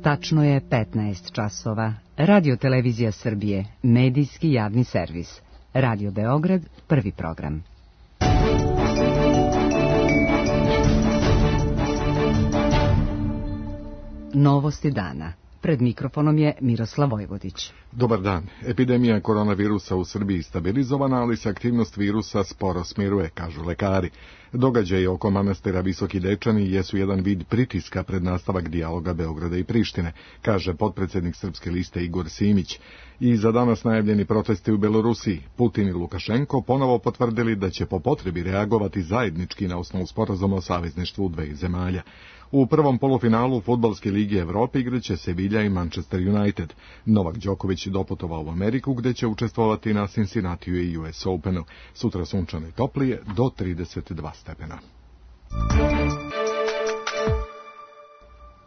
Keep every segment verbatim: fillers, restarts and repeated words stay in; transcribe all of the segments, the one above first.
Tačno je petnaest časova. Radio Televizija Srbije, medijski javni servis. Radio Beograd, prvi program. Novosti dana. Pred mikrofonom je Miroslav Vojvodić. Dobar dan. Epidemija koronavirusa u Srbiji stabilizovana, ali se aktivnost virusa sporo smiruje, kažu lekari. Događaji oko manastira Visoki Dečani jesu jedan vid pritiska pred nastavak dijaloga Beograda i Prištine, kaže potpredsjednik Srpske liste Igor Simić. I za danas najavljeni protesti u Belorusiji, Putin i Lukašenko ponovo potvrdili da će po potrebi reagovati zajednički na osnovu sporazuma o savezništvu dveju zemalja. U prvom polufinalu Fudbalske lige Evrope igraće Sevilla i Manchester United. Novak Đoković doputovao u Ameriku, gdje će učestvovati na Cincinnatiju i U S Openu. Sutra sunčano i toplije do trideset dva stepena.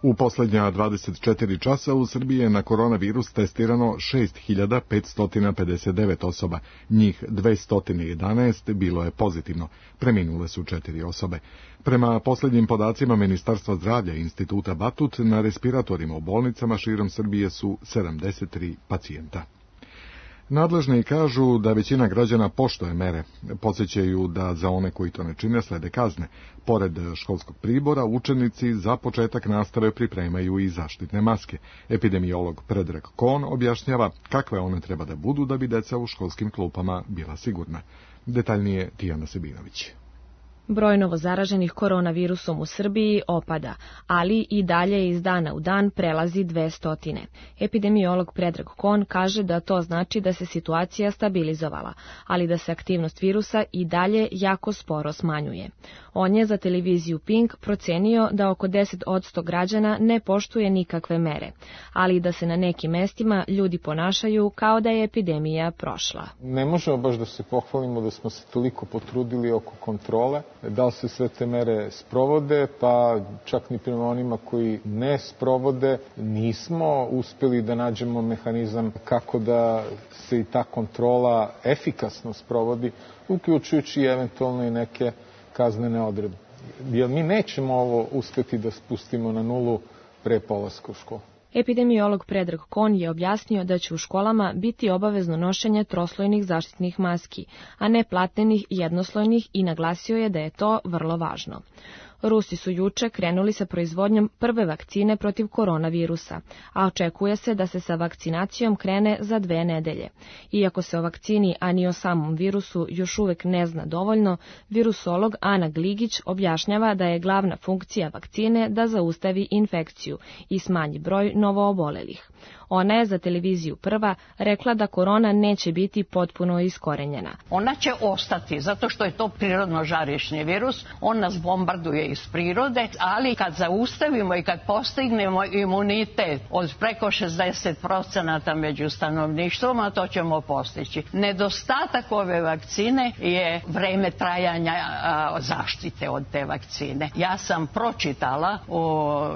U posljednja dvadeset četiri časa u Srbiji je na koronavirus testirano šest hiljada petsto pedeset devet osoba, njih dvesta jedanaest bilo je pozitivno, preminule su četiri osobe. Prema posljednjim podacima Ministarstva zdravlja i Instituta Batut, na respiratorima u bolnicama širom Srbije su sedamdeset tri pacijenta. Nadležni kažu da većina građana poštuje mere. Podsjećaju da za one koji to ne čine slede kazne. Pored školskog pribora, učenici za početak nastave pripremaju i zaštitne maske. Epidemiolog Predrag Kon objašnjava kakve one treba da budu da bi deca u školskim klupama bila sigurna. Detaljnije Tijana Sebinović. Broj novozaraženih koronavirusom u Srbiji opada, ali i dalje iz dana u dan prelazi dve stotine. Epidemiolog Predrag Kon kaže da to znači da se situacija stabilizovala, ali da se aktivnost virusa i dalje jako sporo smanjuje. On je za televiziju Pink procenio da oko deset posto građana ne poštuje nikakve mere, ali da se na nekim mestima ljudi ponašaju kao da je epidemija prošla. Ne možemo baš da se pohvalimo da smo se toliko potrudili oko kontrole. Da li se sve te mere sprovode, pa čak ni prema onima koji ne sprovode, nismo uspjeli da nađemo mehanizam kako da se i ta kontrola efikasno sprovodi, uključujući eventualno i neke kaznene odredbe. Jer mi nećemo ovo uspjeti da spustimo na nulu pre polaska u školu. Epidemiolog Predrag Kon je objasnio da će u školama biti obavezno nošenje troslojnih zaštitnih maski, a ne platnenih jednoslojnih, i naglasio je da je to vrlo važno. Rusi su juče krenuli sa proizvodnjom prve vakcine protiv koronavirusa, a očekuje se da se sa vakcinacijom krene za dve nedelje. Iako se o vakcini, a ni o samom virusu još uvek ne zna dovoljno, virusolog Ana Gligić objašnjava da je glavna funkcija vakcine da zaustavi infekciju i smanji broj novoobolelih. Ona je za televiziju Prva rekla da korona neće biti potpuno iskorenjena. Ona će ostati, zato što je to prirodno žarišni virus, on nas bombarduje iz prirode, ali kad zaustavimo i kad postignemo imunitet od preko šezdeset procenata među stanovništvom, a to ćemo postići. Nedostatak ove vakcine je vreme trajanja a, zaštite od te vakcine. Ja sam pročitala u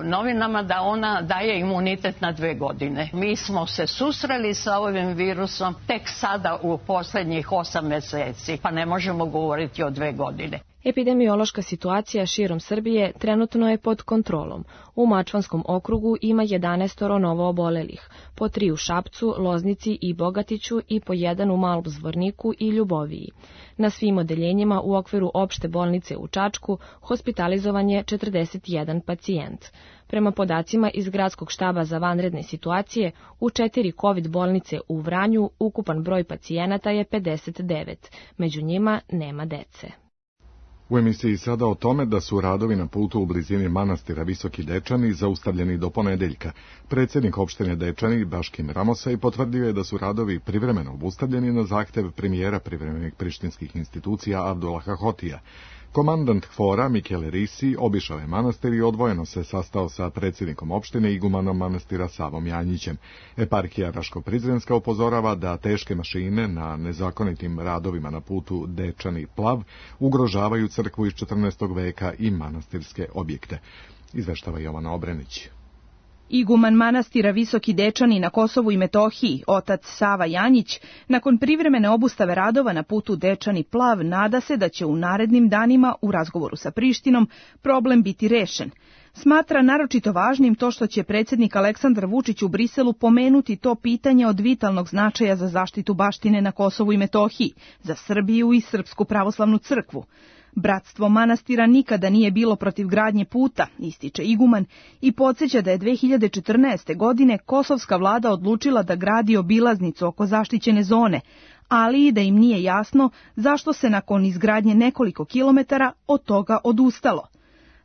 novinama da ona daje imunitet na dve godine. Mi smo se susreli sa ovim virusom tek sada u posljednjih osam mjeseci, pa ne možemo govoriti o dve godine. Epidemiološka situacija širom Srbije trenutno je pod kontrolom. U Mačvanskom okrugu ima jedanaest novoobolelih, po tri u Šapcu, Loznici i Bogatiću i po jedan u Malom Zvorniku i Ljuboviji. Na svim odeljenjima u okviru opšte bolnice u Čačku hospitalizovan je četrdeset jedan pacijent. Prema podacima iz Gradskog štaba za vanredne situacije, u četiri COVID bolnice u Vranju ukupan broj pacijenata je pedeset devet, među njima nema dece. U emisiji sada o tome da su radovi na putu u blizini manastira Visoki Dečani zaustavljeni do ponedeljka. Predsjednik opštine Dečani Baškim Ramosaj potvrdio je da su radovi privremeno obustavljeni na zahtev premijera privremenih prištinskih institucija Abdullaha Hotija. Komandant Hvora Mikele Risi obišao je manastir i odvojeno se sastao sa predsjednikom opštine i igumanom manastira Savom Janjićem. Eparhija Raško-Prizrenska upozorava da teške mašine na nezakonitim radovima na putu Dečani-Plav ugrožavaju crkvu iz četrnaestog veka i manastirske objekte. Izveštava Jovana Obrenić. Iguman manastira Visoki Dečani na Kosovu i Metohiji, otac Sava Janjić, nakon privremene obustave radova na putu Dečani-Plav, nada se da će u narednim danima u razgovoru sa Prištinom problem biti rešen. Smatra naročito važnim to što će predsjednik Aleksandar Vučić u Briselu pomenuti to pitanje od vitalnog značaja za zaštitu baštine na Kosovu i Metohiji, za Srbiju i Srpsku pravoslavnu crkvu. Bratstvo manastira nikada nije bilo protiv gradnje puta, ističe iguman, i podsjeća da je dve hiljade četrnaeste. godine kosovska vlada odlučila da gradi obilaznicu oko zaštićene zone, ali i da im nije jasno zašto se nakon izgradnje nekoliko kilometara od toga odustalo.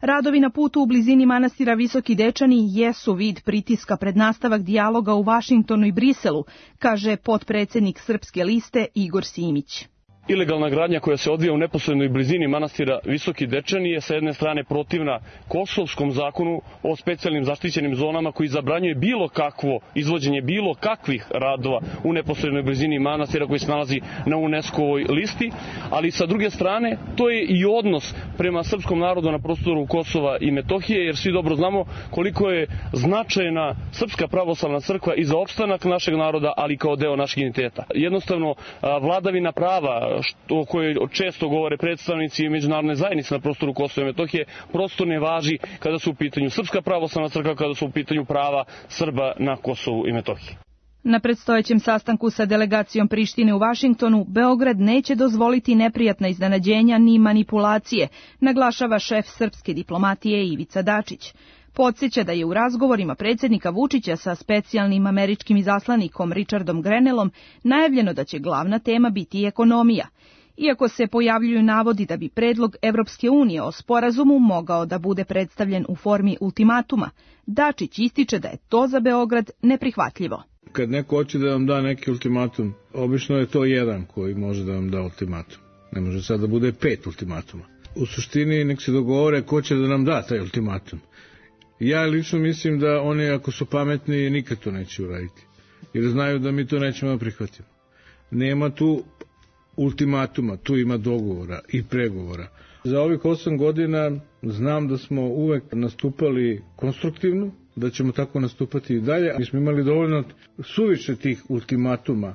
Radovi na putu u blizini manastira Visoki Dečani jesu vid pritiska pred nastavak dijaloga u Vašingtonu i Briselu, kaže potpredsjednik Srpske liste Igor Simić. Ilegalna gradnja koja se odvija u neposrednoj blizini manastira Visoki Dečani je sa jedne strane protivna Kosovskom zakonu o specijalnim zaštićenim zonama koji zabranjuje bilo kakvo izvođenje bilo kakvih radova u neposrednoj blizini manastira koji se nalazi na UNESCO-ovoj listi, ali sa druge strane to je i odnos prema srpskom narodu na prostoru Kosova i Metohije, jer svi dobro znamo koliko je značajna Srpska pravoslavna crkva i za opstanak našeg naroda, ali kao deo našeg identiteta. Jednostavno, vladavina prava, o kojoj često govore predstavnici međunarodne zajednice na prostoru Kosova i Metohije, prosto ne važi kada su u pitanju Srpska pravoslavna crkva, kada su u pitanju prava Srba na Kosovu i Metohiji. Na predstojećem sastanku sa delegacijom Prištine u Vašingtonu, Beograd neće dozvoliti neprijatna iznenađenja ni manipulacije, naglašava šef srpske diplomatije Ivica Dačić. Podsjeća da je u razgovorima predsjednika Vučića sa specijalnim američkim izaslanikom Richardom Grenellom najavljeno da će glavna tema biti ekonomija. Iako se pojavljuju navodi da bi predlog Evropske unije o sporazumu mogao da bude predstavljen u formi ultimatuma, Dačić ističe da je to za Beograd neprihvatljivo. Kad neko hoće da vam da neki ultimatum, obično je to jedan koji može da vam da ultimatum. Ne može sad da bude pet ultimatuma. U suštini nek se dogovore ko će da nam da taj ultimatum. Ja lično mislim da oni, ako su pametni, nikad to neće uraditi. Jer znaju da mi to nećemo prihvatiti. Nema tu ultimatuma, tu ima dogovora i pregovora. Za ovih osam godina znam da smo uvek nastupali konstruktivno, da ćemo tako nastupati i dalje. Mi smo imali dovoljno suviše tih ultimatuma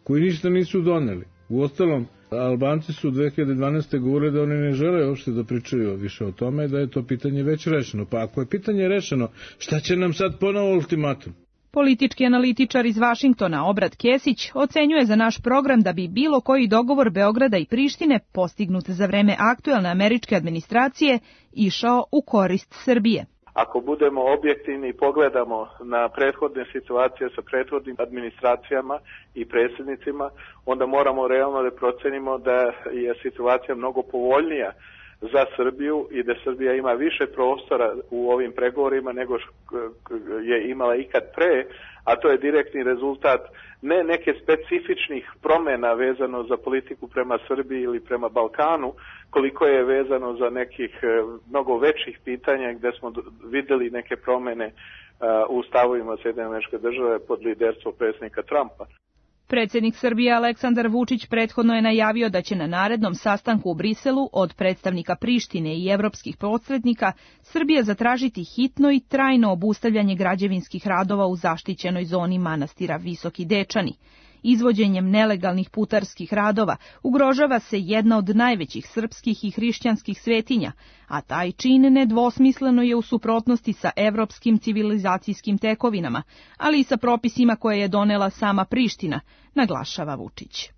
koji ništa nisu doneli. Uostalom, Albanci su dve hiljade dvanaeste. govorili da oni ne žele uopšte da pričaju više o tome, da je to pitanje već rešeno. Pa ako je pitanje rešeno, šta će nam sad ponovo ultimatum? Politički analitičar iz Vašingtona Obrad Kesić ocenjuje za naš program da bi bilo koji dogovor Beograda i Prištine postignut za vreme aktuelne američke administracije išao u korist Srbije. Ako budemo objektivni i pogledamo na prethodne situacije sa prethodnim administracijama i predsjednicima, onda moramo realno da procenimo da je situacija mnogo povoljnija za Srbiju i da Srbija ima više prostora u ovim pregovorima nego je imala ikad pre, a to je direktni rezultat ne neke specifičnih promjena vezano za politiku prema Srbiji ili prema Balkanu, koliko je vezano za nekih mnogo većih pitanja gdje smo vidjeli neke promjene u stavovima Sjedinjenih Američkih Država pod liderstvom predsjednika Trumpa. Predsjednik Srbije Aleksandar Vučić prethodno je najavio da će na narednom sastanku u Briselu od predstavnika Prištine i evropskih posrednika Srbija zatražiti hitno i trajno obustavljanje građevinskih radova u zaštićenoj zoni manastira Visoki Dečani. Izvođenjem nelegalnih putarskih radova ugrožava se jedna od najvećih srpskih i hrišćanskih svetinja, a taj čin nedvosmisleno je u suprotnosti sa evropskim civilizacijskim tekovinama, ali i sa propisima koje je donela sama Priština, naglašava Vučić.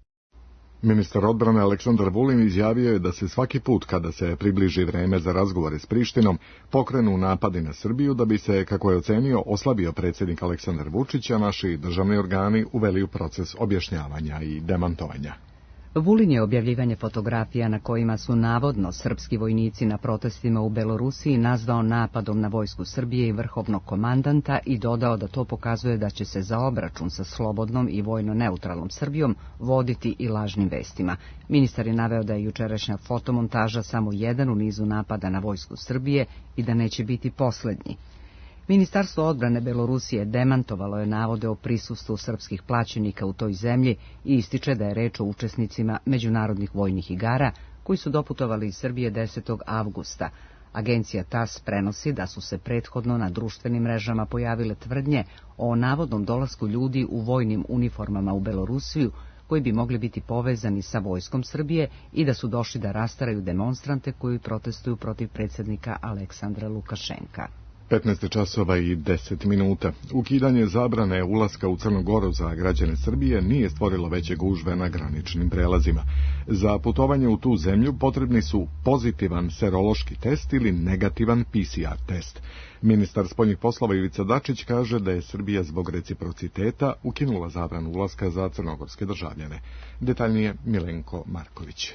Ministar odbrane Aleksandar Vulin izjavio je da se svaki put kada se približi vreme za razgovore s Prištinom pokrenu napadi na Srbiju da bi se, kako je ocenio, oslabio predsjednik Aleksandar Vučić, a naši državni organi uveli u proces objašnjavanja i demantovanja. Vulin je objavljivanje fotografija na kojima su navodno srpski vojnici na protestima u Belorusiji nazvao napadom na vojsku Srbije i vrhovnog komandanta i dodao da to pokazuje da će se za obračun sa slobodnom i vojno neutralnom Srbijom voditi i lažnim vestima. Ministar je naveo da je jučerašnja fotomontaža samo jedan u nizu napada na vojsku Srbije i da neće biti posljednji. Ministarstvo odbrane Belorusije demantovalo je navode o prisustvu srpskih plaćenika u toj zemlji i ističe da je reč o učesnicima međunarodnih vojnih igara koji su doputovali iz Srbije desetog avgusta. Agencija T A S prenosi da su se prethodno na društvenim mrežama pojavile tvrdnje o navodnom dolasku ljudi u vojnim uniformama u Belorusiju koji bi mogli biti povezani sa vojskom Srbije i da su došli da rastaraju demonstrante koji protestuju protiv predsjednika Aleksandra Lukašenka. petnaest časova i deset minuta. Ukidanje zabrane ulaska u Crnu Goru za građane Srbije nije stvorilo veće gužve na graničnim prelazima. Za putovanje u tu zemlju potrebni su pozitivan serološki test ili negativan P C R test. Ministar spoljnih poslova Ivica Dačić kaže da je Srbija zbog reciprociteta ukinula zabranu ulaska za crnogorske državljane. Detaljnije Milenko Marković.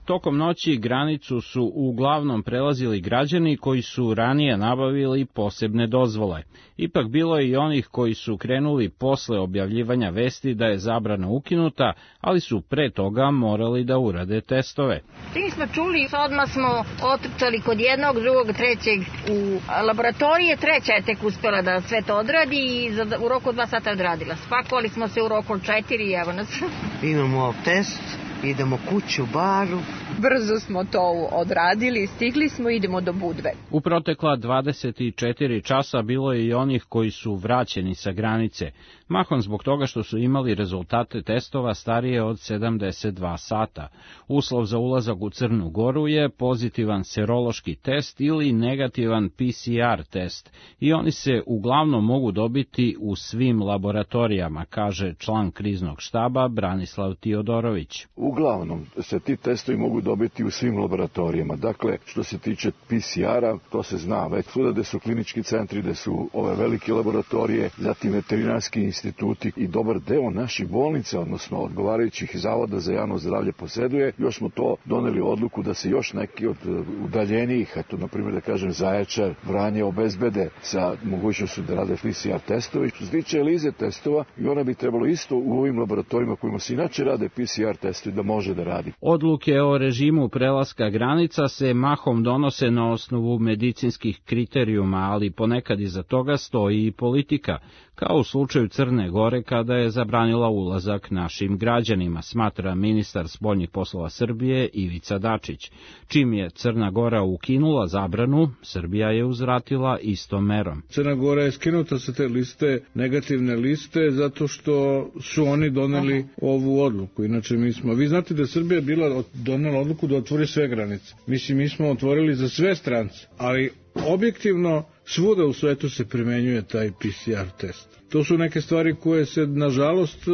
Tokom noći granicu su uglavnom prelazili građani koji su ranije nabavili posebne dozvole. Ipak bilo je i onih koji su krenuli posle objavljivanja vesti da je zabrana ukinuta, ali su pre toga morali da urade testove. Čim smo čuli, odmah smo otrčali kod jednog, drugog, trećeg u laboratorije, treća je tek uspela da sve to odradi i u roku od dva sata odradila. Spakovali smo se u roku od četiri i evo nas. Imamo test. Idemo kuću, baru. Brzo smo to odradili, stigli smo, idemo do Budve. U protekla dvadeset četiri časa bilo je i onih koji su vraćeni sa granice, mahom zbog toga što su imali rezultate testova starije od sedamdeset dva sata. Uslov za ulazak u Crnu Goru je pozitivan serološki test ili negativan P C R test i oni se uglavnom mogu dobiti u svim laboratorijama, kaže član kriznog štaba Branislav Tiodorović. Uglavnom se ti testovi mogu dobiti u svim laboratorijama. Dakle, što se tiče P C R-a, to se zna već svuda gde su klinički centri, gde su ove velike laboratorije, zatim veterinarski instituti i dobar deo naših bolnica, odnosno odgovarajućih zavoda za javno zdravlje poseduje. Još smo to doneli odluku da se još neki od udaljenijih, eto, na primjer da kažem Zaječar, Vranje, obezbede sa mogućnošću da rade P C R testovi. Što se tiče ELISA testova, i ona bi trebalo isto u ovim laboratorijima kojima se inače rade P C R testovi da može da radi. Odluke o režimu prelaska granica se mahom donose na osnovu medicinskih kriterijuma, ali ponekad iza toga stoji i politika, kao u slučaju Crne Gore kada je zabranila ulazak našim građanima, smatra ministar spoljnih poslova Srbije Ivica Dačić. Čim je Crna Gora ukinula zabranu, Srbija je uzvratila istom merom. Crna Gora je skinuta sa te liste, negativne liste, zato što su oni doneli ovu odluku. Inače mi smo, vi znate da je Srbija bila donela odluku da otvori sve granice. Mislim, mi smo otvorili za sve strance, ali objektivno svuda u svetu se primenjuje taj P C R test. To su neke stvari koje se, nažalost,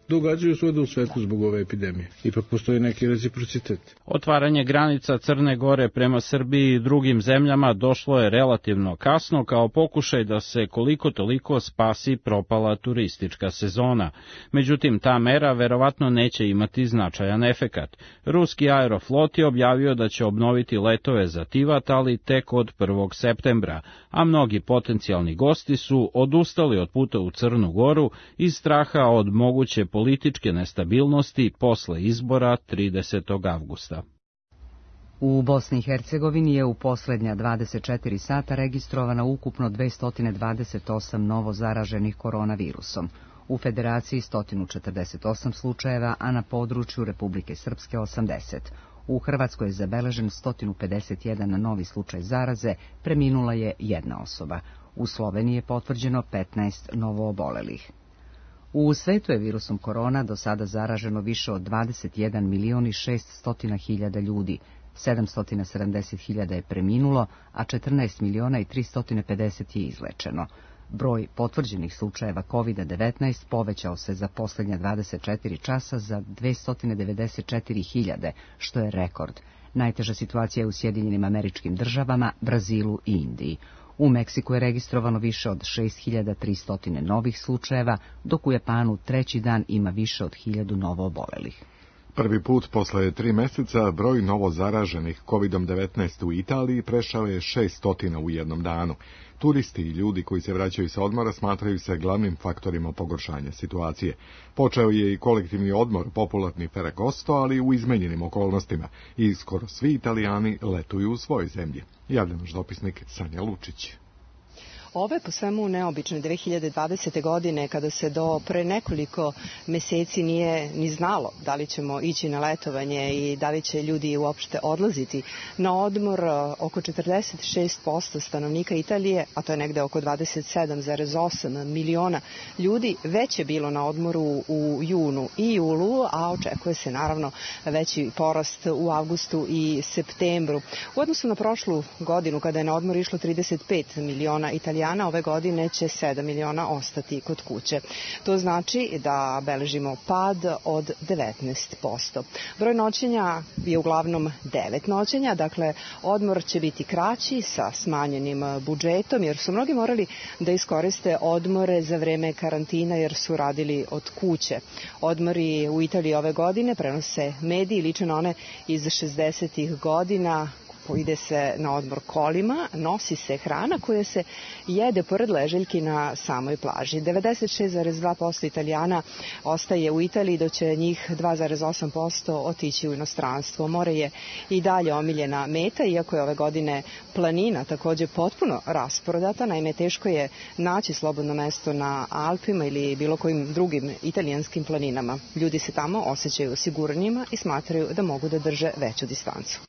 događaju svuda u svetu zbog ove epidemije. Ipak postoji neki reciprocitet. Otvaranje granica Crne Gore prema Srbiji i drugim zemljama došlo je relativno kasno kao pokušaj da se koliko toliko spasi propala turistička sezona. Međutim, ta mera verovatno neće imati značajan efekat. Ruski Aeroflot je objavio da će obnoviti letove za Tivat, ali tek od prvog septembra, a mnogi potencijalni gosti su odustali od puta u Crnu Goru iz straha od moguće političke nestabilnosti posle izbora tridesetog avgusta. U Bosni i Hercegovini je u poslednja dvadeset četiri sata registrovano ukupno dvesta dvadeset osam novo zaraženih koronavirusom. U Federaciji sto četrdeset osam slučajeva, a na području Republike Srpske osamdeset. U Hrvatskoj je zabeležen sto pedeset jedan novi slučaj zaraze, preminula je jedna osoba. U Sloveniji je potvrđeno petnaest novoobolelih. U svetu je virusom korona do sada zaraženo više od dvadeset jedan milion i šeststo hiljada ljudi, sedamsto sedamdeset hiljada je preminulo, a četrnaest miliona i tristo pedeset je izlečeno. Broj potvrđenih slučajeva kovid devetnaest povećao se za posljednja dvadeset četiri časa za dvesta devedeset četiri hiljade, što je rekord. Najteža situacija je u Sjedinjenim Američkim Državama, Brazilu i Indiji. U Meksiku je registrovano više od šest hiljada tristo novih slučajeva, dok u Japanu treći dan ima više od hiljadu novoobolelih. Prvi put posle tri meseca broj novo zaraženih kovid devetnaest u Italiji prešao je šesto u jednom danu. Turisti i ljudi koji se vraćaju sa odmora smatraju se glavnim faktorima pogoršanja situacije. Počeo je i kolektivni odmor popularni Ferragosto, ali u izmenjenim okolnostima i skoro svi Italijani letuju u svojoj zemlji. Javlja naš dopisnik Sanja Lučić. Ove po svemu neobične dve hiljade dvadesete. godine, kada se do pre nekoliko meseci nije ni znalo da li ćemo ići na letovanje i da li će ljudi uopšte odlaziti na odmor, oko četrdeset šest posto stanovnika Italije, a to je negde oko dvadeset sedam zarez osam miliona ljudi, već je bilo na odmoru u junu i julu, a očekuje se naravno veći porast u avgustu i septembru. U odnosu na prošlu godinu, kada je na odmor išlo trideset pet miliona Italijana, ove godine će sedam miliona ostati kod kuće. To znači da beležimo pad od devetnaest posto. Broj noćenja je uglavnom devet noćenja, dakle odmor će biti kraći sa smanjenim budžetom, jer su mnogi morali da iskoriste odmore za vreme karantina jer su radili od kuće. Odmori u Italiji ove godine prenose mediji, liče na one iz šezdesetih godina. Ide se na odmor kolima, nosi se hrana koja se jede pored leželjki na samoj plaži. devedeset šest zarez dva posto Italijana ostaje u Italiji, dok će njih dva zarez osam posto otići u inostranstvo. More je i dalje omiljena meta, iako je ove godine planina takođe potpuno rasprodata. Naime, teško je naći slobodno mesto na Alpima ili bilo kojim drugim italijanskim planinama. Ljudi se tamo osjećaju sigurnijima i smatraju da mogu da drže veću distancu.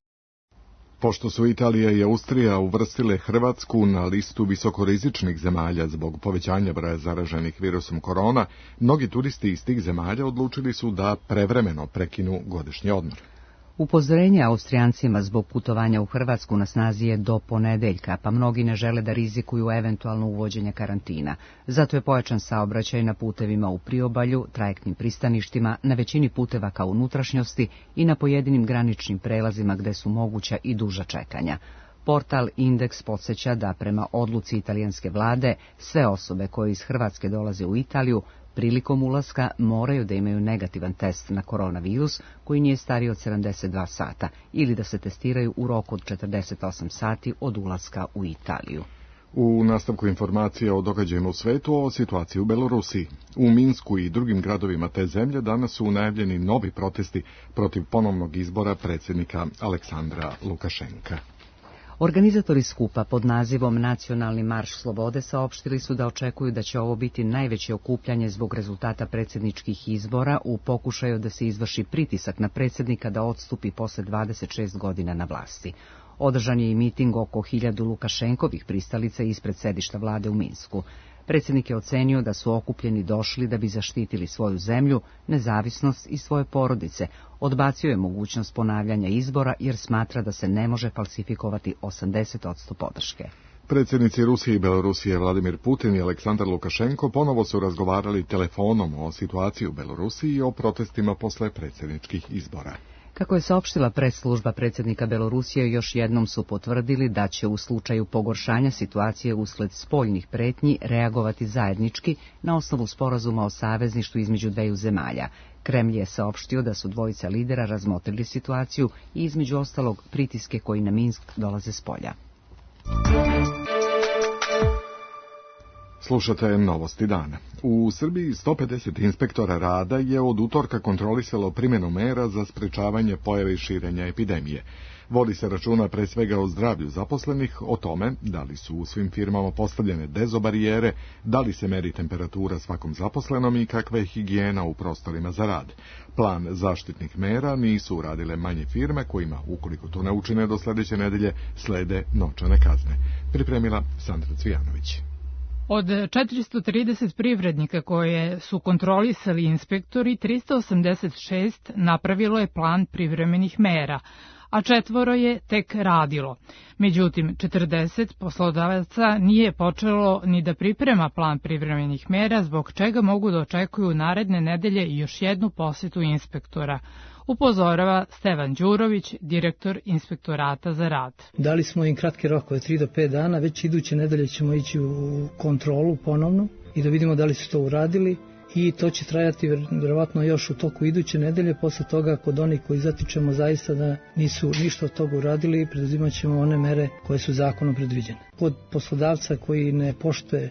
Pošto su Italija i Austrija uvrstile Hrvatsku na listu visokorizičnih zemalja zbog povećanja broja zaraženih virusom korona, mnogi turisti iz tih zemalja odlučili su da prevremeno prekinu godišnji odmor. Upozorenje Austrijancima zbog putovanja u Hrvatsku na snazi je do ponedeljka, pa mnogi ne žele da rizikuju eventualno uvođenje karantina. Zato je pojačan saobraćaj na putevima u priobalju, trajektnim pristaništima, na većini puteva ka unutrašnjosti i na pojedinim graničnim prelazima gde su moguća i duža čekanja. Portal Indeks podsjeća da prema odluci italijanske vlade sve osobe koje iz Hrvatske dolaze u Italiju prilikom ulaska moraju da imaju negativan test na koronavirus koji nije stariji od sedamdeset dva sata ili da se testiraju u roku od četrdeset osam sati od ulaska u Italiju. U nastavku informacija o događajima u svetu o situaciji u Belorusiji. U Minsku i drugim gradovima te zemlje danas su najavljeni novi protesti protiv ponovnog izbora predsjednika Aleksandra Lukašenka. Organizatori skupa pod nazivom Nacionalni marš slobode saopštili su da očekuju da će ovo biti najveće okupljanje zbog rezultata predsjedničkih izbora u pokušaju da se izvrši pritisak na predsjednika da odstupi posle dvadeset šest godina na vlasti. Održan je i miting oko hiljadu Lukašenkovih pristalica ispred sedišta vlade u Minsku. Predsjednik je ocenio da su okupljeni došli da bi zaštitili svoju zemlju, nezavisnost i svoje porodice. Odbacio je mogućnost ponavljanja izbora jer smatra da se ne može falsifikovati osamdeset posto podrške. Predsjednici Rusije i Belorusije Vladimir Putin i Aleksandar Lukašenko ponovo su razgovarali telefonom o situaciji u Belorusiji i o protestima posle predsjedničkih izbora. Kako je saopštila press-služba predsjednika Belorusije, još jednom su potvrdili da će u slučaju pogoršanja situacije usled spoljnih pretnji reagovati zajednički na osnovu sporazuma o savezništvu između dveju zemalja. Kremlj je saopštio da su dvojica lidera razmotrili situaciju i između ostalog pritiske koji na Minsk dolaze s polja. Slušate novosti dana. U Srbiji sto pedeset inspektora rada je od utorka kontrolisalo primjenu mera za sprečavanje pojave i širenja epidemije. Vodi se računa pre svega o zdravlju zaposlenih, o tome da li su u svim firmama postavljene dezobarijere, da li se meri temperatura svakom zaposlenom i kakva je higijena u prostorima za rad. Plan zaštitnih mera nisu uradile manje firme kojima, ukoliko to ne učine do sljedeće nedelje, slede novčane kazne. Pripremila Sandra Cvijanović. Od četiristo trideset privrednika koje su kontrolisali inspektori, trista osamdeset šest napravilo je plan privremenih mera, a četvoro je tek radilo. Međutim, četrdeset poslodavaca nije počelo ni da priprema plan privremenih mera, zbog čega mogu da očekuju naredne nedelje još jednu posjetu inspektora, upozorava Stevan Đurović, direktor Inspektorata za rad. Dali smo im kratke rokove, tri do pet dana, već iduće nedelje ćemo ići u kontrolu ponovno i da vidimo da li su to uradili i to će trajati vjerovatno još u toku iduće nedelje. Posle toga, kod onih koji zatičemo zaista da nisu ništa od toga uradili, preduzimat ćemo one mere koje su zakonom predviđene. Kod poslodavca koji ne poštuje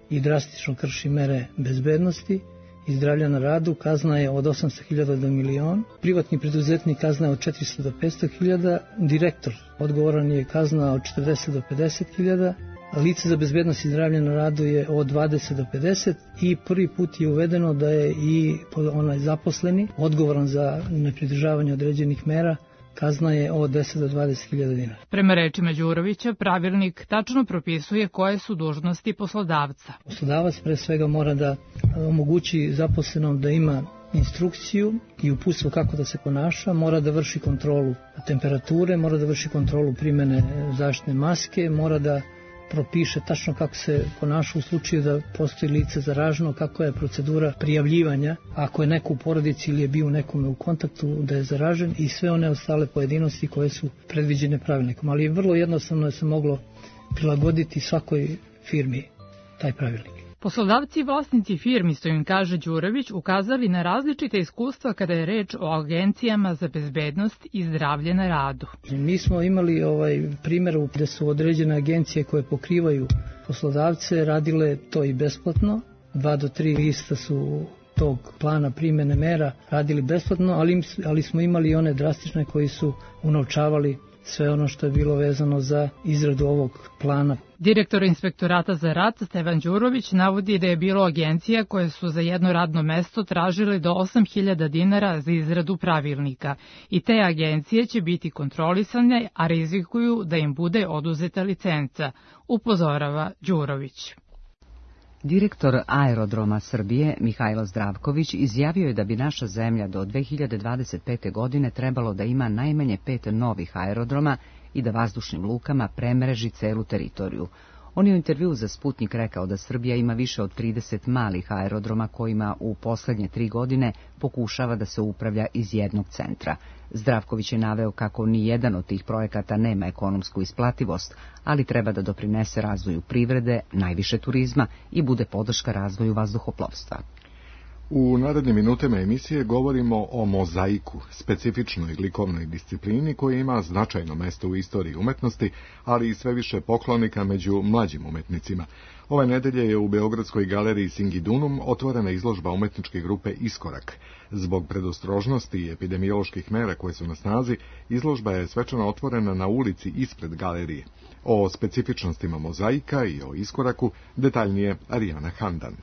i drastično krši mere bezbednosti i zdravlja na radu, kazna je od osamsto hiljada do milion. Privatni preduzetnik kazna je od četiristo do petsto hiljada. Direktor odgovoran je kazna od četrdeset do pedeset hiljada, Lice za bezbednost i zdravlje na radu je od dvadeset do pedeset i prvi put je uvedeno da je i onaj zaposleni odgovoran za nepridržavanje određenih mera, kazna je od deset do dvadeset hiljada dinara. Prema rečima Đurovića, pravilnik tačno propisuje koje su dužnosti poslodavca. Poslodavac pre svega mora da omogući zaposlenom da ima instrukciju i uputstvo kako da se ponaša, mora da vrši kontrolu temperature, mora da vrši kontrolu primene zaštitne maske, mora da propiše tačno kako se ponaša u slučaju da postoji lice zaraženo, kako je procedura prijavljivanja, ako je neko u porodici ili je bio nekome u kontaktu da je zaražen i sve one ostale pojedinosti koje su predviđene pravilnikom. Ali vrlo jednostavno je se moglo prilagoditi svakoj firmi taj pravilnik. Poslodavci i vlasnici firmi, što im kaže Đurović, ukazali na različite iskustva kada je reč o agencijama za bezbednost i zdravlje na radu. Mi smo imali ovaj primjer gde su određene agencije koje pokrivaju poslodavce radile to i besplatno. Dva do tri lista su tog plana primjene mera radili besplatno, ali, ali smo imali i one drastične koji su unovčavali sve ono što je bilo vezano za izradu ovog plana. Direktor Inspektorata za rad Stevan Đurović navodi da je bilo agencija koje su za jedno radno mesto tražile do osam hiljada dinara za izradu pravilnika i te agencije će biti kontrolisane, a rizikuju da im bude oduzeta licenca, upozorava Đurović. Direktor Aerodroma Srbije Mihajlo Zdravković izjavio je da bi naša zemlja do dve hiljade dvadeset pete. godine trebalo da ima najmanje pet novih aerodroma i da vazdušnim lukama premreži celu teritoriju. On je u intervju za Sputnik rekao da Srbija ima više od trideset malih aerodroma kojima u poslednje tri godine pokušava da se upravlja iz jednog centra. Zdravković je naveo kako ni jedan od tih projekata nema ekonomsku isplativost, ali treba da doprinese razvoju privrede, najviše turizma i bude podrška razvoju vazduhoplovstva. U narednim minutama emisije govorimo o mozaiku, specifičnoj likovnoj disciplini koja ima značajno mesto u istoriji umetnosti, ali i sve više poklonika među mlađim umetnicima. Ove nedelje je u Beogradskoj galeriji Singidunum otvorena izložba umetničke grupe Iskorak. Zbog predostrožnosti i epidemioloških mera koje su na snazi, izložba je svečano otvorena na ulici ispred galerije. O specifičnostima mozaika i o Iskoraku detaljnije Arijana Handan.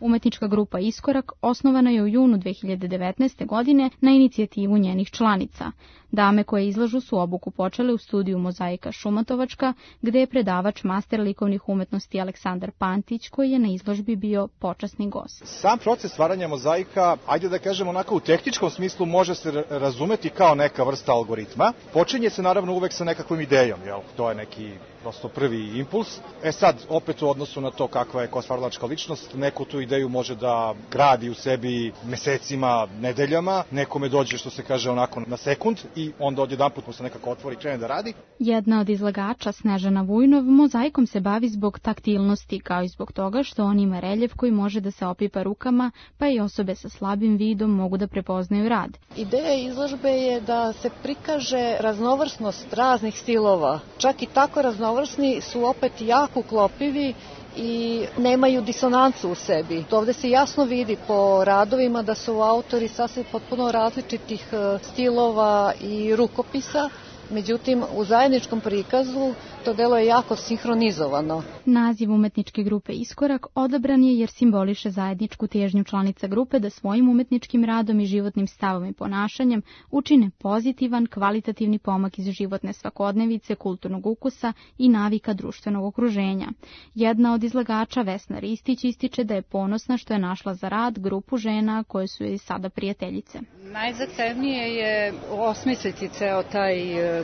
Umetnička grupa Iskorak osnovana je u junu dve hiljade devetnaeste. godine na inicijativu njenih članica. Dame koje izlažu su obuku počele u studiju Mozaika Šumatovačka, gde je predavač master likovnih umetnosti Aleksandar Pantić, koji je na izložbi bio počasni gost. Sam proces stvaranja mozaika, ajde da kažemo onako u tehničkom smislu, može se razumeti kao neka vrsta algoritma. Počinje se naravno uvek sa nekakvom idejom, jel? To je neki prosto prvi impuls. E sad, opet u odnosu na to kakva je ko stvaralačka ličnost, neko tu ideju može da gradi u sebi mesecima, nedeljama, nekome dođe, što se kaže, onako na sekund i onda odjedanput mu se nekako otvori i krene da radi. Jedna od izlagača, Snežana Vujnov, mozaikom se bavi zbog taktilnosti, kao i zbog toga što on ima reljef koji može da se opipa rukama, pa i osobe sa slabim vidom mogu da prepoznaju rad. Ideja izložbe je da se prikaže raznovrsnost raznih stilova. Čak i tako raznovrsni su opet jako uklopivi i nemaju disonancu u sebi. Ovde se jasno vidi po radovima da su autori sasvim potpuno različitih stilova i rukopisa, međutim u zajedničkom prikazu to delo je jako sinhronizovano. Naziv umetničke grupe Iskorak odabran je jer simboliše zajedničku težnju članica grupe da svojim umetničkim radom i životnim stavom i ponašanjem učine pozitivan, kvalitativni pomak iz životne svakodnevice, kulturnog ukusa i navika društvenog okruženja. Jedna od izlagača, Vesna Ristić, ističe da je ponosna što je našla za rad grupu žena koje su joj sada prijateljice. Najzahtevnije je osmisliti ceo taj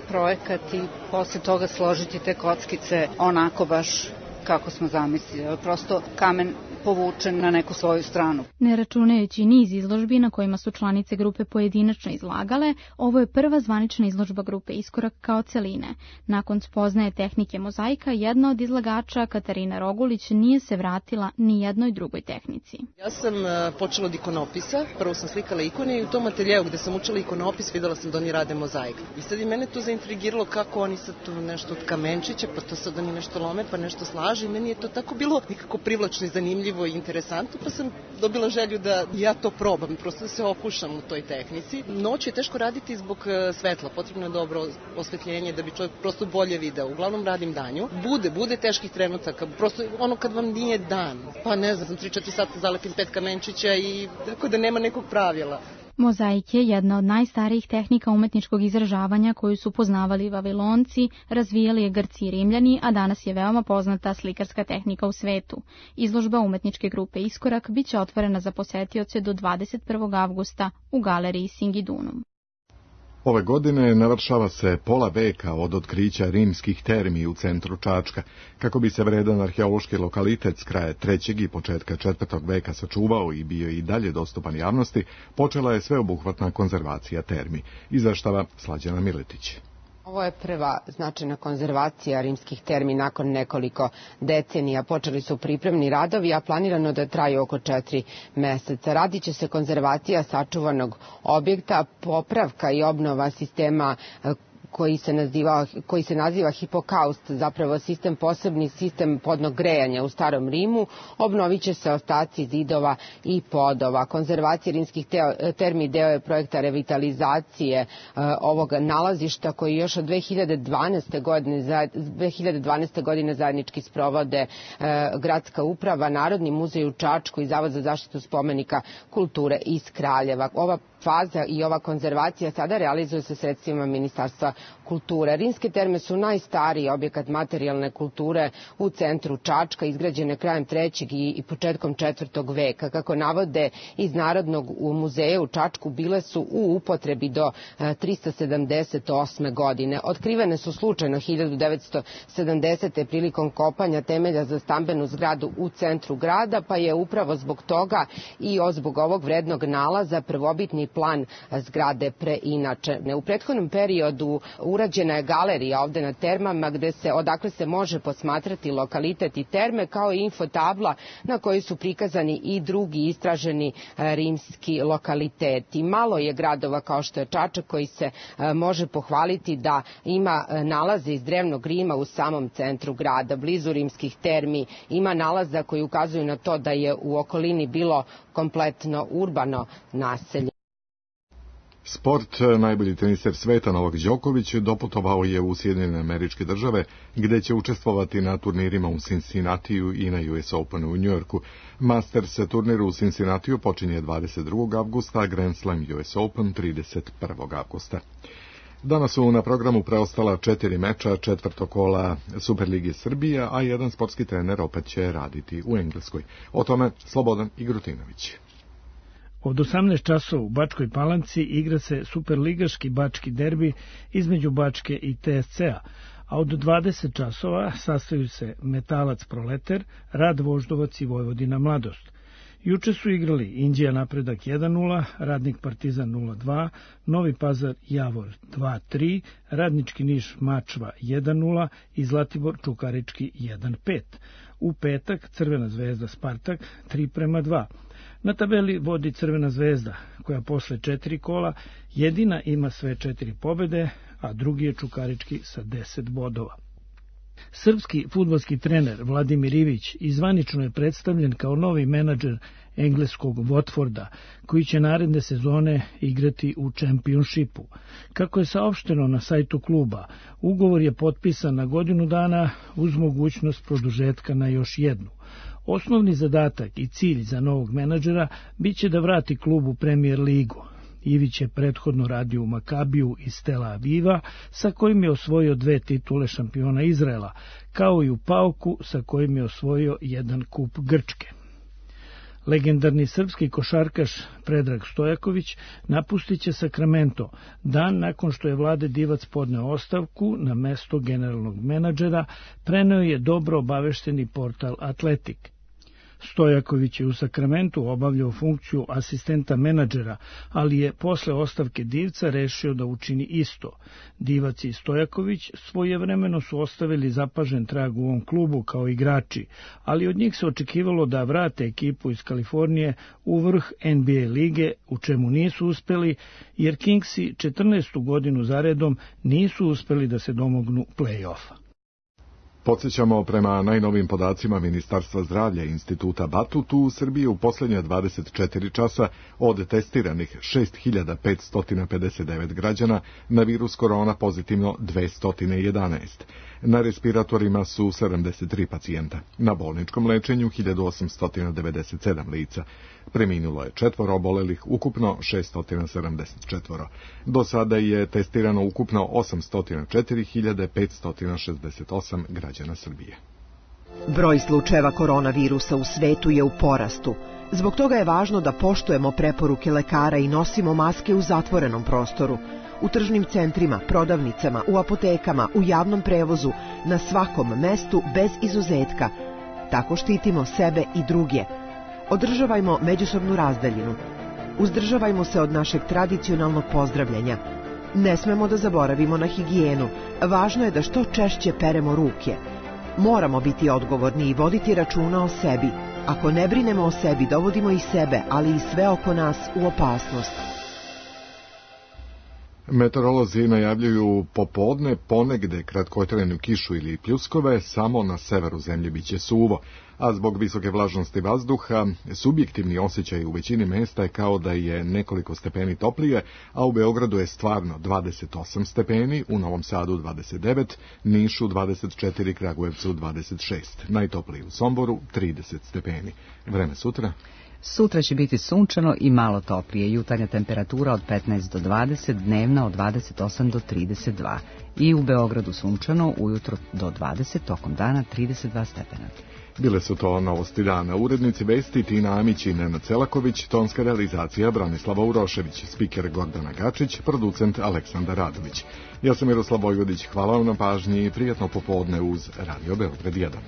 projekat i posle toga složiti te kockice onako baš kako smo zamislili. Prosto kamen povučen na neku svoju stranu. Ne računajući niz izložbi na kojima su članice grupe pojedinačno izlagale, ovo je prva zvanična izložba grupe Iskorak kao celine. Nakon spoznaje tehnike mozaika, jedna od izlagača, Katarina Rogulić, nije se vratila ni jednoj drugoj tehnici. Ja sam počela od ikonopisa, prvo sam slikala ikone i u tom ateljeu gde sam učila ikonopis videla sam da oni rade mozaik. I sad i mene to zaintrigiralo kako oni sad tu nešto od kamenčića, pa to sad oni nešto lome, pa nešto slažu. montaži. Meni je to tako bilo nekako privlačno i zanimljivo i interesantno, pa sam dobila želju da ja to probam, prosto da se okušam u toj tehnici. Noć je teško raditi zbog svetla, potrebno je dobro osvetljenje da bi čovjek prosto bolje video. Uglavnom radim danju. Bude, bude teških trenutaka, prosto ono kad vam nije dan, pa ne znam, tri četiri sata zalepim pet kamenčića i tako da nema nekog pravila. Mozaik je jedna od najstarijih tehnika umetničkog izražavanja koju su poznavali Vavilonci, razvijali je Grci i Rimljani, a danas je veoma poznata slikarska tehnika u svetu. Izložba umetničke grupe Iskorak biće otvorena za posetioce do dvadeset prvog avgusta u galeriji Singidunum. Ove godine navršava se pola veka od otkrića rimskih termi u centru Čačka. Kako bi se vredan arheološki lokalitet s kraja trećeg i početka četvrtog veka sačuvao i bio i dalje dostupan javnosti, počela je sveobuhvatna konzervacija termi. Izveštava Slađana Miletić. Ovo je prva značajna konzervacija rimskih termi nakon nekoliko decenija. Počeli su pripremni radovi, a planirano da traju oko četiri meseca. Radit će se konzervacija sačuvanog objekta, popravka i obnova sistema koji se naziva, koji se naziva hipokaust, zapravo sistem posebni sistem podnog grejanja u starom Rimu. Obnovit će se ostaci zidova i podova. Konzervacija rimskih termi deo je projekta revitalizacije e, ovog nalazišta koji još od dve hiljade dvanaeste. godine, dve hiljade dvanaeste. godine zajednički sprovode e, Gradska uprava, Narodni muzej u Čačku i Zavod za zaštitu spomenika kulture iz Kraljeva. Ova faza i ova konzervacija sada realizuje se sredstvima Ministarstva kulture. Rimske terme su najstariji objekat materijalne kulture u centru Čačka, izgrađene krajem trećeg i početkom četvrtog veka. Kako navode iz Narodnog muzeja u Čačku, bile su u upotrebi do trista sedamdeset osme. godine. Otkrivene su slučajno hiljadu devetsto sedamdesete. prilikom kopanja temelja za stambenu zgradu u centru grada, pa je upravo zbog toga i zbog ovog vrednog nalaza prvobitni plan zgrade preinačene. U prethodnom periodu urađena je galerija ovde na termama gde se, odakle se može posmatrati lokalitet i terme, kao i infotabla na kojoj su prikazani i drugi istraženi rimski lokaliteti. Malo je gradova kao što je Čačak koji se može pohvaliti da ima nalaze iz drevnog Rima u samom centru grada. Blizu rimskih termi ima nalaza koji ukazuju na to da je u okolini bilo kompletno urbano naselje. Sport, najbolji teniser sveta Novak Đoković doputovao je u Sjedinjene Američke Države, gde će učestvovati na turnirima u Cincinnatiju i na U S Openu u Njujorku. Masters turnir u Cincinnatiju počinje dvadeset drugog avgusta, a Grand Slam U S Open trideset prvog avgusta. Danas su na programu preostala četiri meča četvrtog kola Superlige Srbije, a jedan sportski trener opet će raditi u Engleskoj. O tome Slobodan Igrutinović. Od osamnaest časova u Bačkoj Palanci igra se superligaški bački derbi između Bačke i T S C-a, a od dvadeset časova sastaju se Metalac Proleter, Rad Voždovac i Vojvodina Mladost. Juče su igrali Inđija Napredak jedan nula, Radnik Partizan nula dva, Novi Pazar Javor dva tri, Radnički Niš Mačva jedan nula i Zlatibor Čukarički jedan pet. U petak Crvena zvezda Spartak tri prema dva. Na tabeli vodi Crvena zvezda, koja posle četiri kola jedina ima sve četiri pobede, a drugi je Čukarički sa deset bodova. Srpski fudbalski trener Vladimir Ivić izvanično je predstavljen kao novi menadžer engleskog Watforda, koji će naredne sezone igrati u Čempionšipu. Kako je saopšteno na sajtu kluba, ugovor je potpisan na godinu dana uz mogućnost produžetka na još jednu. Osnovni zadatak i cilj za novog menadžera biće da vrati klub u Premier ligu. Ivić je prethodno radio u Makabiju iz Tel Aviva, sa kojim je osvojio dve titule šampiona Izraela, kao i u Pauku, sa kojim je osvojio jedan kup Grčke. Legendarni srpski košarkaš Predrag Stojaković napustit će Sacramento dan nakon što je Vlade Divac podneo ostavku na mesto generalnog menadžera, preneo je dobro obavešteni portal Atletik. Stojaković je u Sakramentu obavljao funkciju asistenta menadžera, ali je posle ostavke Divca rešio da učini isto. Divac i Stojaković svojevremeno su ostavili zapažen trag u ovom klubu kao igrači, ali od njih se očekivalo da vrate ekipu iz Kalifornije u vrh N B A lige, u čemu nisu uspeli, jer Kingsi četrnaestu godinu zaredom nisu uspeli da se domognu play-offa. Podsjećamo, prema najnovim podacima Ministarstva zdravlja i Instituta Batut, u Srbiji u posljednje dvadeset četiri časa od testiranih šest hiljada petsto pedeset devet građana na virus korona pozitivno dvesta jedanaest. Na respiratorima su sedamdeset tri pacijenta, na bolničkom lečenju hiljadu osamsto devedeset sedam lica. Preminulo je četvoro obolelih, ukupno šeststo sedamdeset četiri. Do sada je testirano ukupno osamsto četiri hiljade petsto šezdeset osam građana Srbije. Broj slučajeva koronavirusa u svetu je u porastu. Zbog toga je važno da poštujemo preporuke lekara i nosimo maske u zatvorenom prostoru. U tržnim centrima, prodavnicama, u apotekama, u javnom prevozu, na svakom mestu bez izuzetka. Tako štitimo sebe i druge. Održavajmo međusobnu razdaljinu. Uzdržavajmo se od našeg tradicionalnog pozdravljanja. Ne smemo da zaboravimo na higijenu. Važno je da što češće peremo ruke. Moramo biti odgovorni i voditi računa o sebi. Ako ne brinemo o sebi, dovodimo i sebe, ali i sve oko nas u opasnost. Meteorolozi najavljuju popodne ponegde kratkotrajnu kišu ili pljuskove, samo na severu zemlje biće suvo, a zbog visoke vlažnosti vazduha subjektivni osjećaj u većini mesta je kao da je nekoliko stepeni toplije, a u Beogradu je stvarno dvadeset osam stepeni, u Novom Sadu dvadeset devet, Nišu dvadeset četiri, Kragujevcu dvadeset šest, najtopliji u Somboru trideset stepeni. Vreme sutra? Sutra će biti sunčano i malo toplije, jutarnja temperatura od petnaest do dvadeset, dnevna od dvadeset osam do trideset dva. I u Beogradu sunčano, ujutro do dvadeset, tokom dana trideset dva stepena. Bile su to novosti dana. Urednici vesti Tina Amić i Nenad Celaković, tonska realizacija Branislava Urošević, spiker Gordana Gačić, producent Aleksandar Radović. Ja sam Miroslav Vojvodić, hvala vam na pažnji i prijatno popodne uz Radio Beograd jedan.